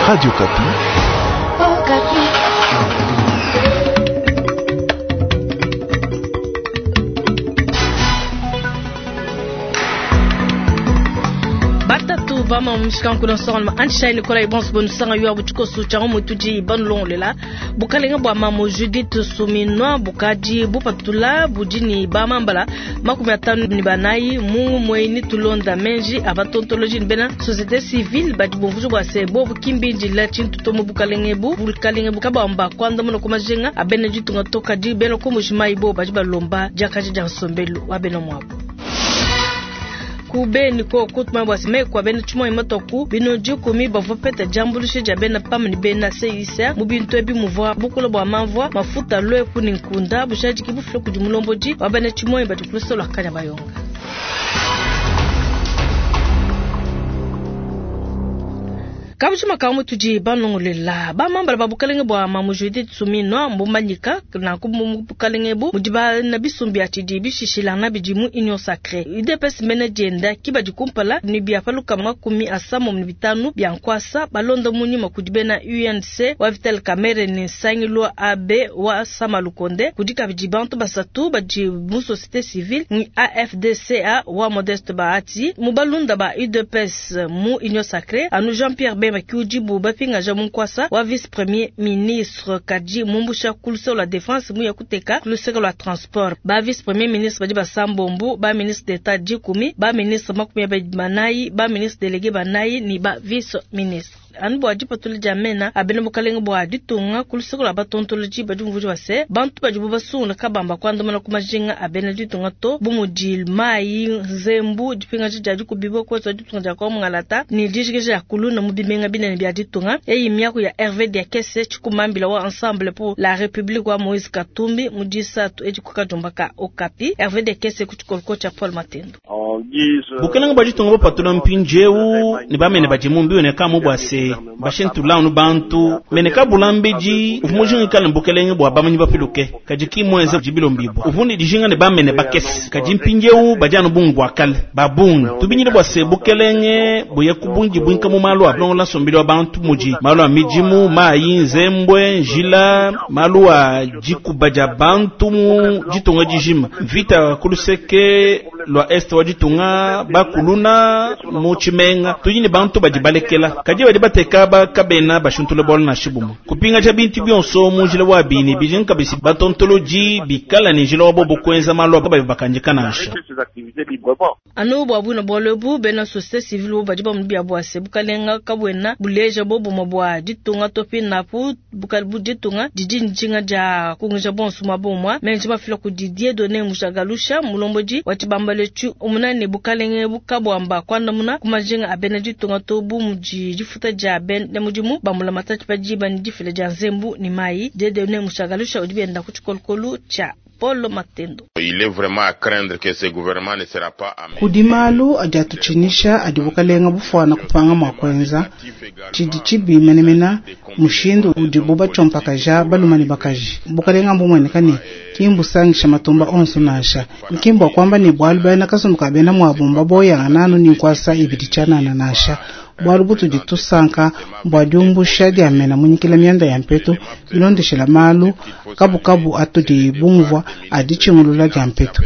Radio Okapi. Okapi. Batatu bama mushikankulo nsongaluma anshai nikolai bonso bonusanga yo butshikoso tshia mutudi banulongolela bukalenga bua mamu Judith Suminwa bukadi bupatula budi ni bamambala 54 mu mweni tulonda menji abatontoloji ni bena société civile badi bumvuja bua se bobu kimbindila tshintu to mu bukalenge bu bukalenge bukabamba kwandamuna ku majinga abena ditunga to kadi bena ku Mbuji-Mayi bo badi balomba diakaja dia nsombelu wa bena muabu. Ku Beni ko kutuma bua se meku a bena tshimonyi matoku bino dikumi bavua bapeta diambuluisha dia bena PAM ne bena CICR mu bintu ebi muvua bukula bua mamvua, mafuta, luepu ne nkunda bujadiki bufila kudi mulombodi wa bena tshimonyi badi ku luseke lua Kanyabayonga. Kabujima ka mutudi banongolela bamambala ba bukalenge bua Mamu Judith Suminwa mbumanyika nanku mu bukalenge ebu mudi bana bisumbu bia tshidi bishishilangana bidi mu Union Sacree. UDPS mena dienda ki badi kumpala ne bia pa lukama 75 bia nkuasa balonda mu nyuma kudi bena UNC wa Vital Kamerhe ne nsangilu wa AB wa Sama Lukonde. Kudi kabidi bantu basatu badi mu société civile ni AFDCA wa Modeste Bahati mu balunda ba UDPS mu Union Sacree anu Jean-Pierre Bemba ki udibu bapingaja mu nkuasa wa vice premier ministre kadi mumbusha ku luseke lua defense muya kuteka ku luseke lua transport. Ba vice premier ministre badi basambombu, ba ministre d'etat dikumi, ba ministre 24, ba ministre délégué banayi ni ba vice ministre. Anu bua dipatula dia mena a bena bukalenge bua ditunga ku luseke lua batontoloji badi bumvuija bua se bantu badibu basungula kabamba kuandamuna ku majinga a bena ditunga to bu mudi mayi, nzembu, dipingaja dia dikubibua kuetu ditunga dia kwa mungalata ni dijikija ya kuluna mu bimenga binene bia ditunga. Eyi miaku ya Hervé Diakese tshikumambila wa Ensemble pour la République wa Moïse Katumbi mu disatu edi ku kajumba ka Okapi. Hervé Diakese ku tshikoloko tshia Paul Matendo. Bukalenge bua ditunga bupatula mpindieu ne bamene badi mu mbiu ne kamu bua se bashintula anu bantu mene kabula mbidi uvua mujingikale bukalenge bua bamanyi bapiluke kadi ki muenze dibilombibua uvua ne dijinga ne bamene bakese kadi mpindieu badi anu bungi bua kale ba bungi tubinyile bua se bukalenge buye ku bungi buinka mu malu a bulongola nsombelu wa bantu mudi malu a midimu mayi nzembwe njila malu a dikuba dia bantu mu ditunga dijima mvita ku luseke lua est wa ditunga bakuluna mu tshimenga tudi ne bantu badi balekela kadi badi bateka bakabena bashuntula bualu nansha bumue kupingaja bintu bionso mu njila wa bini bidi nkabisi batontoloji bikala ne njila wa bobo kuenza malu abo bakandika nansha. Anu bua buina bualu ebu bena société civile bo badi bamona bia bua se bukalenga kabuena buleja bobumue bua ditunga to pinapu bu ditunga didi njinga dia kunguja bonso muaba umue menji mafila kudi Dieudonné Mushagalusha mulombodi wa tshibambalo tshi umuna ne bukalenge bukabuamba kuandamuna ku majinga a bena ditunga to bu mudi difuta dia bena mudimu bamula matati pa diba ne difila dia nzembu ne mayi. Dieudonné Mushagalusha udi bienda ku tshikolokolo tshia Paulo Matendo. Il est vraiment à craindre que ce gouvernement ne sera pas à Kudi malu adi atutshinisha adi bukalenga bufuana kupanga mua kuenza tshidi tshibi menemene mushindu udibu batshiompakaja balume ne bakaji. Bukalenga mbumueneka ne ki mbusangisha matumba onso nansha. Ki mbua kuamba ne bualu bena kasumbu ka bena muabu mbaboyangana nanu ni nkuasa ibidi tshianana nansha. Bualu butudi tusanka bua diumbusha dia mena munyikila mianda ya mpetu bilondeshela malu kabukabu atudi bumvua adi tshingulula dia mpetu.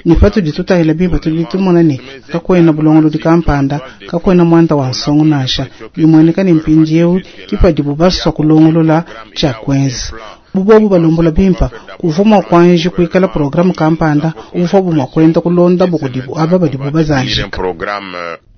Ni patudi tutahila bimpe tudi tumona ne kakuena bulongolodi kampanda kakuena muanda wa nsongo nansha. Bimueneka ne mpindieu ki padibu basua kulongolola tshia kuenza. Bubobu balombola bimpa kuvua mua kuanji kuikala programme kampanda uvuabu mua kuenda kulonda bukudibu aba badibu bazanjika.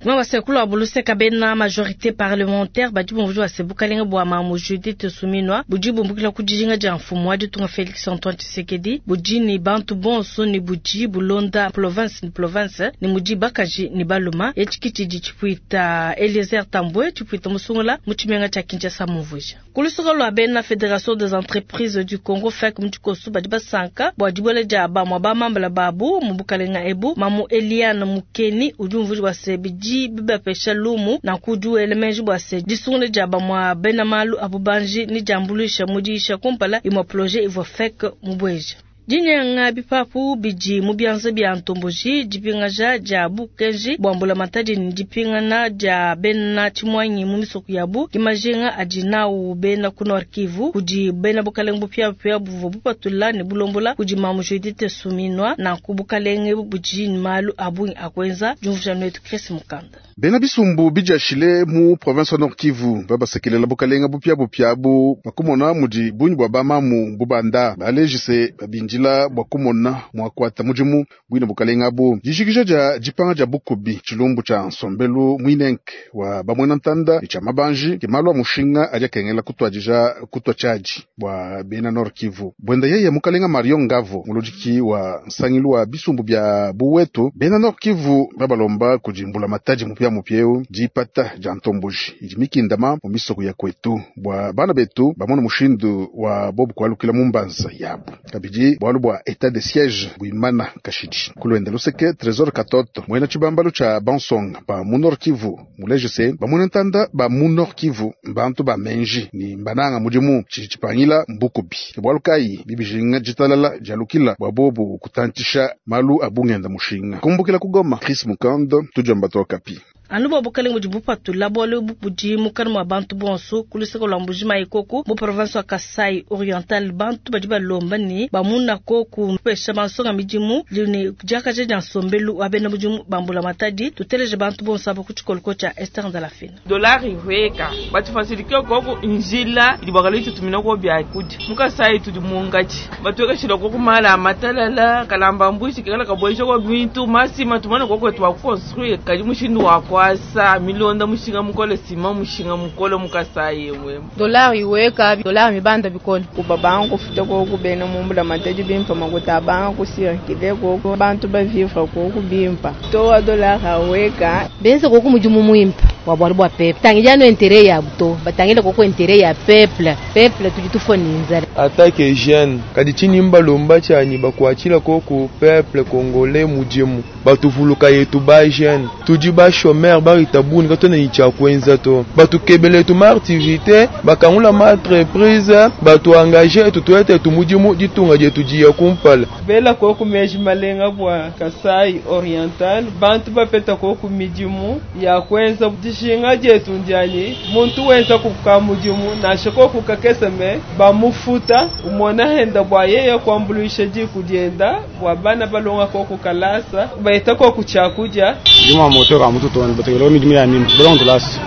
Mwa sekulu wa buluseka bena majorité parlementaire badi bumvuja bua se bukalenge bua Mamu Judith Suminwa budi bumbukila ku dijinga dia mfumu wa ditunga Félix Antoine Tshisekedi budi ni bantu bonso ni budi bulonda province ni province ni mudi bakaji ni baluma etshi tshidi tshipuita Eliezer Tambwe tshipuita musungula mu tshimenga tshia Kinshasa mumvuja. Ku luseke lua bena Fédération des entreprises du Congo FEC mu tshikoso badi basanka bua dibuela dia bamue bamambala babu mu bukalenga ebu. Mamu Eliane Mukeni udi umvuja bua se bidi bibapesha lumu na kudi wela meji bua se disungula dia bamue bena malu a bubanji ni diambuluisha mu diyisha kumpala imue projet ivua FEC mubueja. Dinyenga bipapu bidi mu bianza bia ntomboji, dipingaja dia bukenji bua mbulamatadi ne dipingana dia bena tshimuangi mu misoko yabu ke majinga adi nawu bena ku Nord Kivu kudi bena bukalenge bupiabupia buvua bupatula ne bulombola kudi Mamu Judith Suminwa. Nanku bukalenge budi ne malu a bungi a kuenza. Diumvuija nuetu Chris Mukanda. Bena bisumbu bidiashile mu province wa Nord Kivu babasekelela bukalenga bupiabupia abu bakumona mudi bungi bua bamamu bubanda balejise babindila bua kumona mua kuata mudimu buine bukalenga abu. Dijikija dia dipanga dia bukubi tshilumbu tshia nsombelu muinenke wa bamuena ntanda ne tshia mabanji ke malu a mushinga adi akengela kutuadija kutua tshiadi bua bena Nord Kivu. Buenda yeye mukalenga Mario Ngavo muludiki wa nsangilu wa bisumbu bia buwetu bena Nord Kivu babalomba kudi mbulamatadi mupia mupia dipata dia ntomboji idi mikindama mu misoko ya kwetu bua bana betu bamona mushindu wa bobu kualukila mu mbanza yabu kabidi bualu bua etat de siège buimana kashidi kulwenda luseke Trésor Katoto mwena tshibambalu tshia bansonga ba mu Nord Kivu mulejese bamwena ntanda ba mu Nord Kivu mbantu ba menji ni mbananga mudimu tshidi tshipangila mbukubi bualu kayi bibijinga ditalala dialukila bua bobu kutantisha malu abungenda mushinga kumbukila kugoma Chris Mukando tujamba tokapi. Anu bua bukalenge budi bupatula bualu budi mukana mua bantu bonso ku luseke lua Mbuji-Mayi koku mu province wa Kasai Oriental bantu badi balomba ne bamuna koku kupesha bansonga midimu ne diakaja dia nsombelu wa bena mudimu ba mbulamatadi. Tuteleje bantu bonso aba ku tshikoloko tshia Esther Ndalafina. Dolari ihweka batufasilike koku njila idi bakala tutumina ko bya kudi mukasai tudi mungachi batwekeshila koku mala matalala kalamba mbushi kala kabwesha ko bintu masima tumana koko twa construire kadi mushindu wa kwasa milonda mushinga mukole sima mushinga mukole mukasai mwe dolari iweka dolari mibanda bikole kubabangu kufuta koku bena mumbula matadi bimpa makuta banga kusirkile koku bantu bavivra koku bimpa toa dolari aweka benze koku mudimu muimpa wa bwalu bwa peuple tangija no intérêt ya buto batangile koko intérêt ya peuple peuple tudi tufoninza attaque jeune kadi chini mbalomba chanyi bakwachila koko peuple congolais mudimu batuvuluka yetu ba jeune tudi ba chômeur ba ritabuni katona icha kwenza to batukebele tu ma activité bakangula ma entreprise batu engager tutuete tu mudimu ditunga jetu jiya kumpala bela koko meji malenga bwa Kasai Oriental bantu bapeta koko midimu ya kwenza dishinga jetu ndiani muntu wenza kuka mudimu nashe koko kakeseme bamufuta umona henda bwa yeye kwambuluisha jikudienda bwa bana balonga koko kalasa baita koko chakuja juma moto ka mutu toni batekelo midimu ya mimi balonga tulasi.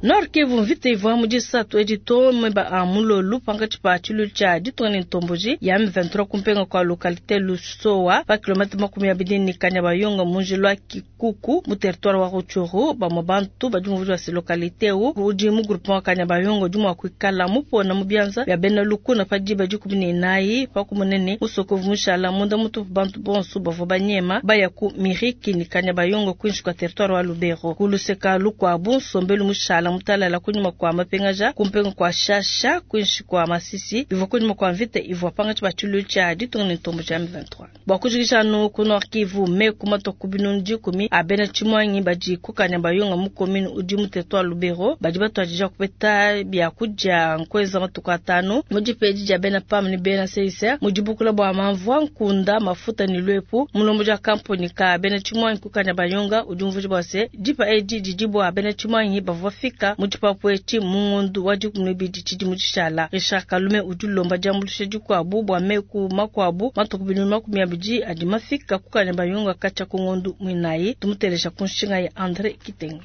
Nord Kivu mvita ivua mu disatu edito meba a mulolu pankatshi pa tshilu tshia ditunga ne ntomboji ya M23 kumpenga kwa localité Lusowa pa kilomètre 20 ne Kanyabayonga mu njila wa Kikuku mu territoire wa Rutshuru. Bamue bantu badi mu wa localité u udi mu groupement wa Kanyabayonga udi mua kuikala mupona mu bianza bia bena lukuna pa diba 14 pa kumunene musokovu mushala munda mutupu bantu bonso bavua banyema baya ku Miriki ne Kanyabayonga kuinshi kwa territoire wa Lubero kuluseka lukwabu nsombelu mushala mutalala kunyuma kwa mapengaja kumpenga kwa shasha kuinshi kwa Masisi bivua kunyuma kwa mvita ivua pangatshi ba tshilu tshia ditunga ne ntombo tshia M23. Bua kujikisha anu ku Nord Kivu meku matoku binunu 10 abena tshimwangi badi ku Kanyabayonga mu commune udi mu territoire Lubero badi batuadija kupeta byakudia nkweza matuku atanu mu dipedi dia bena PAM ne bena CICR mu dibukula bua mamvua nkunda mafuta ne lwepu mulombo dia kampuni ka bena tshimwangi ku Kanyabayonga udi umvuija bua se dipa edi didi bua bena tshimwangi bavua fika mu dipapu etshi mu ngondu wa 12 tshidi mu tshishala. Richard Kalume udi ulomba diambuluisha dikuabu bua meku makuabu matuku binunu 20 adi mafika ku Kanyabayonga katshia ku ngondu mwinayi. Tumuteleja ku nshinga ya André Kitenge.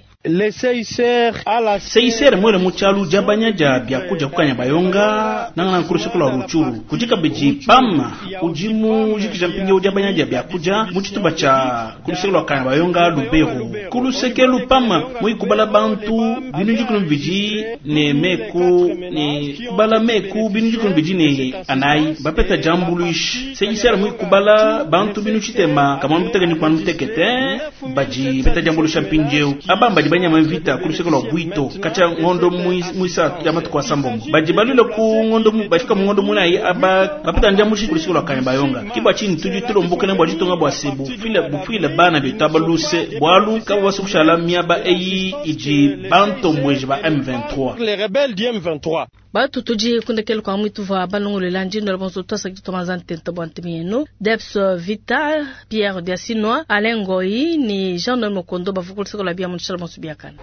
CICR mwele muchalu jabanya ja byakuja ku Kanyabayonga nangana nkurushikula Rutshuru kujika beji PAM ujimu jikija mpinge ujabanya ja byakuja muchituba cha kurushikula Kanyabayonga Lubero kulusekelu PAM muikubala bantu binu jikunu biji ne meku ne kubala meku binu jikunu biji ne anai bapeta jambuluish CICR muikubala bantu binu chitema kama muteke ni kwa mutekete baji peta jambulusha mpinjeu abamba banyama vita kurushikula bwito kacha ngondo muisa ya matuku asambongo baji balule ku ngondo bashika mu ngondo munayi aba bapeta njambushi kurushikula Kanyabayonga kiba chini tuji tulombukene bwa jitonga bwa sebu fila bufila bana betabaluse bwalu Bobu basue kushala miaba eyi idi bantombueji ba M23. Les rebelles du M23. Batu tudi kundekelu kwa mwitu vwa balongolela ndino la bonso twasa kitumanza ntenta bwa ntemienu Debs Vita Pierre Diasinwa Alain Ngoyi ni Jean Noël Mokondo bavukuliseko la bia munshala bonso biakana.